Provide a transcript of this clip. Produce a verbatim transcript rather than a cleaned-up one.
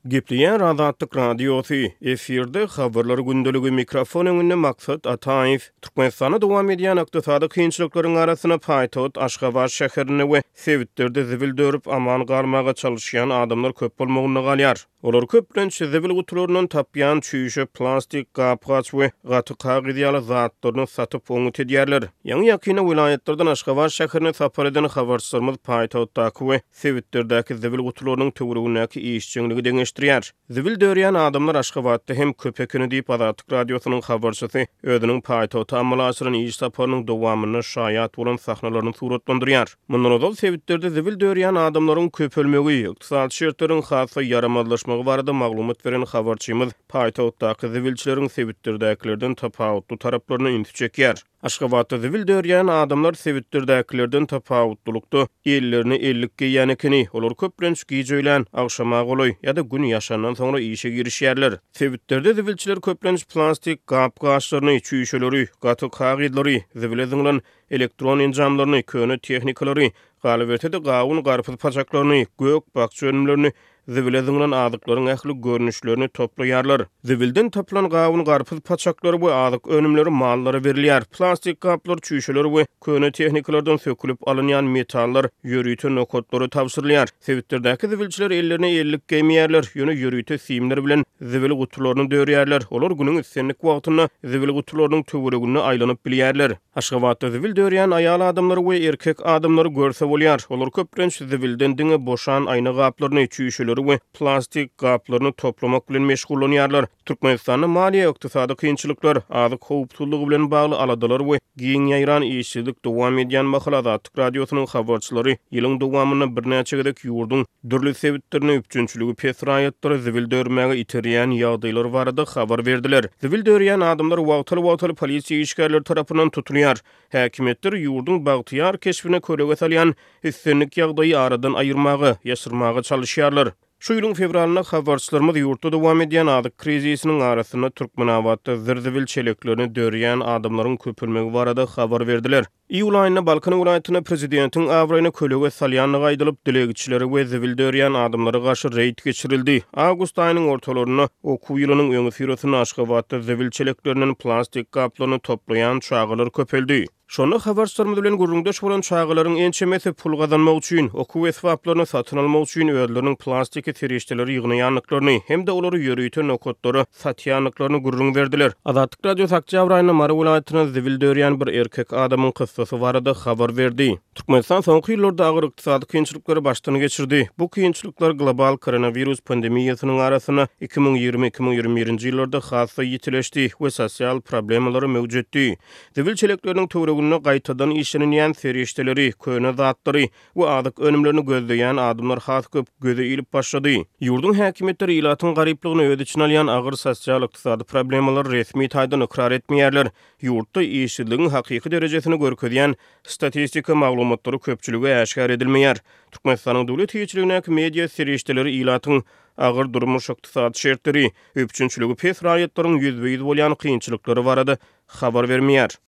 Gepleýär Azatlyk Radiosy, efirde Habarlar gündeligi, mikrofon öňünde Maksat Ataýew. Türkmenistanda dowam edýän ykdysady kynçylyklaryň arasynda paýtagt Aşgabat şäherinde we sebitlerde zibil dörüp aman galmaga çalyşýan adamlar köp bolmagynda galýar. Olar köplenç zibil gutularyndan tapýan çüýşe, plastik, gap-gaç we gaty kagyz ýaly zatlaryny satyp oňňut edýärler. Ýaňy-ýakynda welaýatlardan Aşgabat şäherine sapar eden habarçylarymyz paýtagtdaky we sebitlerdäki zibil gutularynyň töweregindäki işjeňligi deňeşdirýär. Zibil dörýän adamlar Aşgabatda hem köp ekeni diýip, Azatlyk Radiosynyň habarçysy özüniň paýtagta amala aşyran iş saparynyň dowamynda şaýat bolan sahnalaryny suratlandyrýar. Mundan ozal sebitlerde zibil dörýän adamlaryň köpelmegi, ykdysady şertleriň has-da ýaramazlaşmagy barada maglumat beren habarçymyz paýtagtdaky zibilçileriň sebitlerdäkilerden tapawutly taraplaryna ünsi çekýär. Aşgabatda zibil dörýän adamlar sebitlerdäkilerden tapawutlylykda ellerine ellik geýýän ekeni. Olar köplenç gije öýlän, agşama golaý ýa-da gün ýaşandan soňra işe girişýärler. Sebitlerde zibilçiler köplenç plastik gap-gaçlaryny, çüýşeleri, gaty kagyzlary, zibile zyňlan elektron enjamlaryny, köne tehnikalary, galyberse-de gawun-garpyz paçaklaryny, gök-bakja önümlerini, zibile zyňlan azyklaryň ähli görnüşlerini toplaýarlar. Zibilden tapylan gawun-garpyz paçaklary we azyk önümleri mallara berilýär. Plastik gaplar, çüýşeler we köne tehnikalardan sökülip alynýan metallar ýörite nokatlara tabşyrylýar. Sebitlerdäki zibilçiler ellerine ellik geýmeýärler, ýöne ýörite simler bilen zibil gutularyny dörýärler. Olar günüň islendik wagtynda zibil gutularynyň töwereginde aýlanyp bilýärler. Aşgabatda zibil dörýän aýal adamlary we erkek adamlary görse bolýar. Olar köplenç zibilden diňe boşan aýna gaplaryny, çüýşeleri we plastik gaplaryny toplamak bilen meşgullanýarlar. Türkmenistanda maliýe ykdysady kynçylyklar, azyk howpsuzlygy bilen bagly aladalar we giň ýaýran işsizlik dowam edýän mahaly Azatlyk Radiosynyň habarçylary ýylyň dowamynda birnäçe gezek ýurduň dürli sebitlerine üpjünçiligi pes raýatlary zibil dörmäge iterýän ýagdaýlar barada habar berdiler. Zibil dörýän adamlar wagtal-wagtal polisiýa işgärleri tarapyndan tutulýar. Häkimiýetler ýurduň bagtyýar keşbine kölege salýan islendik ýagdaýy aradan aýyrmaga, ýaşyrmaga çalyşýarlar. Şu ýylyň fewralynda habarçylarymyz ýurtda dowam edýän azyk krizisiniň arasynda Türkmenabatda zir-zibil çeleklerini dörýän adamlaryň köpelmegi barada habar berdiler. Iýul aýynda Balkan welaýatynda prezidentiň abraýyna kölege salýandygy aýdylyp, dilegçilere we zibil dörýän adamlara garşy reýd geçirildi. Awgust aýynyň ortalarynda okuw ýylynyň öňüsyrasynda Aşgabatda zibil çeleklerinden plastik gaplaryny toplaýan çagalar köpeldi. Şonda habarçylarymyz bilen gürrüňdeş bolan çagalaryň ençemesi pul gazanmak üçin, okuw esbaplaryny satyn almak üçin özleriniň plastiki serişdeleri ýygnaýandyklaryny hem-de olary ýörite nokatlara satýandyklaryny gürrüň berdiler. Azatlyk Radiosy oktýabr aýynda Mary welaýatynda zibil dörýän bir erkek adamyň kyssasy barada habar berdi. Türkmenistan soňky ýyllarda agyr ykdysady kynçylyklary başdan geçirdi. Bu kynçylyklar global koronawirus pandemiýasynyň arasynda iki müň ýigrimi, iki müň ýigrimi birinji ýyllarda has-da ýitileşdi we sosial problemalary möwjetdi. Zibil çelekleriniň töwereginde gaýtadan işlenilýän serişdeleri, köne zatlary we azyk önümlerini gözleýän adamlar has köp göze ilip başlady. Ýurduň häkimiýetleri ilatyň garyplygyny öz içine alýan agyr sosial-ykdysady problemalary resmi taýdan ykrar etmeýärler. Ýurtda işsizligiň hakyky derejesini görkezýän statistika maglumatlary köpçülige äşgär edilmeýär. Türkmenistanyň döwlet eýeçiligindäki media serişdeleri ilatyň agyr durmuş-ykdysady şertleri, üpjünçiligi pes raýatlaryň ýüzbe-ýüz bolýan kynçylyklary barada habar bermeýär.